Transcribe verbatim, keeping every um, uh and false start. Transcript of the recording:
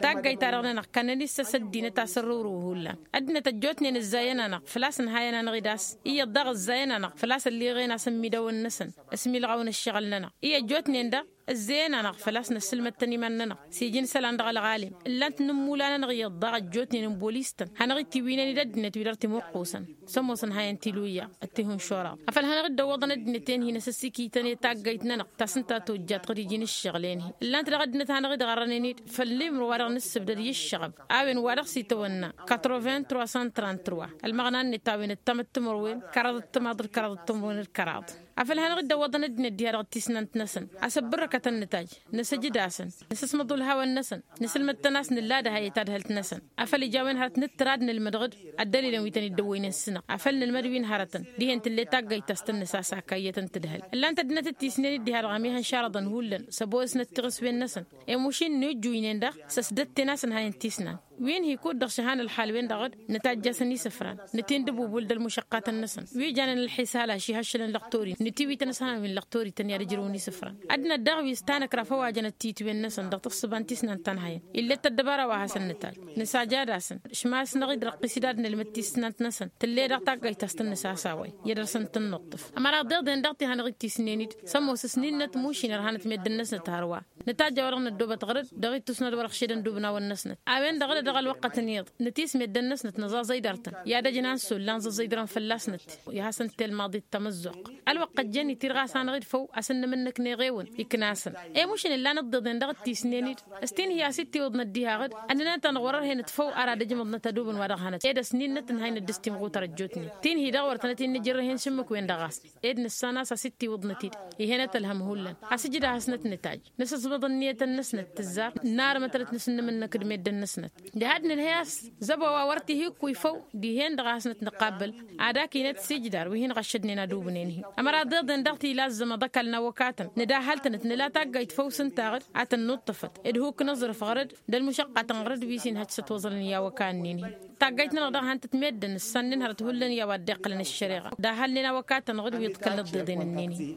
Taggayt-ta-dăɣ-nănăɣ kănnăn-issăs ăddinăt a-s ărrǝwrǝw hullan ăddinăt ăjjootnen ǝzzayăn-anăɣ făl-a-s ǝnhayăn-anăɣ-dd a-s iyyăḍ daɣ ǝzzayăn-anăɣ făl-a-s ălliɣen a-s ămmidawăn-năsăn ăsmilɣawăn ǝššăɣǝl-nănăɣ i-ăjjootnen daɣ ǝzzeyăn-anăɣ făl-a-s năssǝlmăd-tăn iman-nănăɣ s-iji n-isălan dăɣ-ălɣalim ǝllan-t n-ǝmmula-nănăɣ iyyăḍ daɣ ăjjootnen n-bolis-tăn hanăɣ-itiwǝynen-dd ăddinăt-wi-dăɣ timuqqusăn. Sămoos ǝnhayăn tiluyya d-tihǝnšoraḍ afăl hanăɣ-dd-ăwwăḍăn ăddinăt-en-hi n-asǝssikităn i-taggayt-nănăɣ ta s-ǝnta tojjat ɣǝd-iji n-ǝššăɣǝl-en-hi ǝllan-t daɣ ăddinăt hanăɣ-dd-ɣărrănen-dd făll-imǝrwa-dăɣ n-ǝssǝbdăd i-ǝššăɣăb a-wen wa dăɣ-s itawănna. Quatre-vingt trois cent trente-trois ălmăɣna-net a-wen d-tamăttimărwen kăraḍăt timaḍ d-kăraḍăt timărwen d-kăraḍ. Afăl hanăɣ-dd-ăwwăḍăn ăddinăt diha-dăɣ d-tisnant-năsăn asăbbărrăkătăn nǝtaj nǝsǝjǝd-asăn nǝsǝsmăḍ ulhawăn-năsăn nǝsǝlmăd-tăn a-s nǝlla d-ehăyăt adhălt-năsăn afăl ija a-wen hărăt nǝttǝr ad-nǝlmăd ɣǝd ăddălilăn wi tăn-dd-ăwwăynen s-sǝnăɣ afăl nǝlmăd wi n-hărătăn dihen tǝll'-e taggayt ta s-tăn-nǝsasa kayyăt n-tǝdhăl. Ǝllan-t ăddinăt d-tisnen-dd diha-dăɣ ămihăn šarăḍăn hullan s-ăboosnăt tiɣǝswen-năsăn i-mušin n-ujjuynen daɣ s-ăsdătten a-s ǝnhayăn tisnan. Wi n-hi kud-dăɣ šăhan ălxal-wen-dăɣ d-nǝtajj'-asăn isǝfran nǝtindǝbubul d-ălmušăqqatăn-năsăn wi janen ălxisal ašihăššălăn lăqtori nǝtiwităn s-han wi n-lăqtori tăn-i-ad-ǝjrǝwăn isǝfran. Ăddinăt daɣ wi s-tanăkra făwajănăt titwen-năsăn dăɣ-tǝssǝba n-tisnant ta n-hayăn ill'-e t-ăddăbara wa hasăn-nǝtaj nǝsajad-asăn šmas-năɣ-dd răqqis-dd ad-nǝlmǝd tisnant-năsăn tǝll'-e daɣ taggayt ta s-tăn-nǝsasa a-wa i-ad-dăr-săn tǝnnuṭṭǝf. Ămăra ḍeḍen daɣ ti hanăɣ-dd tisnen-dd sămoos ǝsnin-năt mušin ărhanăt meddǝn-năsnăt hărwa. Nǝtajj a-wa-dăɣ năddoobăt ɣăr-dd dăɣ-ittus n-ad-wăr-ăɣšedăn dubnawăn-năsnăt a-wen-dăɣ d-dăɣ-ălwăqqăt n-iyyăḍ nǝtis meddǝn-năsnăt nǝẓaẓăy dăr-tăn i-ad-ăj n-ansul lanẓăẓăy dăr-tăn fălla-snăt. I-ad-hasăn-t telmaḍit tamăzzuɣt ălwăqq ăjjeen-i tirɣas-anăɣ-dd făw a-s ǝnnǝmǝnnǝkneɣ ewăn iknasăn. I-mušǝn ǝllan ǝḍḍeḍen dăɣ-tisnen-dd s-tinhi a-s dd-tiwǝḍnăt diha ɣǝd ănnănăt-anăɣ wăr-ărhenăt făw ar ad-ǝjmǝḍnăt adubǝn wa dăɣ-hănăt ed ăsnin-năt ǝnhăynăt dăɣ-s timɣutar ăjjootnen tinhi-dăɣ wăr tănăt-in-nǝjǝrrǝhen šǝmmǝk-wen-dăɣ a-s ed nǝssan a-s a-s dd-tiwǝḍnăt-dd. Ih'-enăt ălhăm hullan asǝjǝd a hasnăt nǝtaj nǝsǝẓbăḍ ǝnniyătăn-năsnăt tǝzzar. Narmătălăt nǝsǝnnǝmǝnnăk d-meddǝn-năsnăt diha ad-nǝnhăy a-s zăbo a-wa wăr t-ihǝkkuy făw dihen-dăɣ a hasnăt nǝqabbăl ad-ak inăt s-ijdar wi hin-ɣăššădnen ad-ubǝnen-hi. Ămăra ḍeḍen daɣ tila ăzzămaḍ ăkall n-awăkatăn nǝdahhăl-tănăt nǝla taggayt făw s-ǝnta ɣǝd ad-tăn-nuṭṭăfăt d-huk n-aẓrǝf ɣăr-dd d-ălmušăqqatăn ɣăr-dd wi s-inhăj s-ătwăẓălăn i-awăka-ǝnnin-hi. Taggayt-nănăɣ daɣ han-tăt meddǝn ǝssannen hărăt hullan i-a-wa dd-iqqălăn ǝššăreɣa dahhălnen awăkatăn ɣǝd wi iḍkălnăt ḍeḍen-ǝnnin-hi.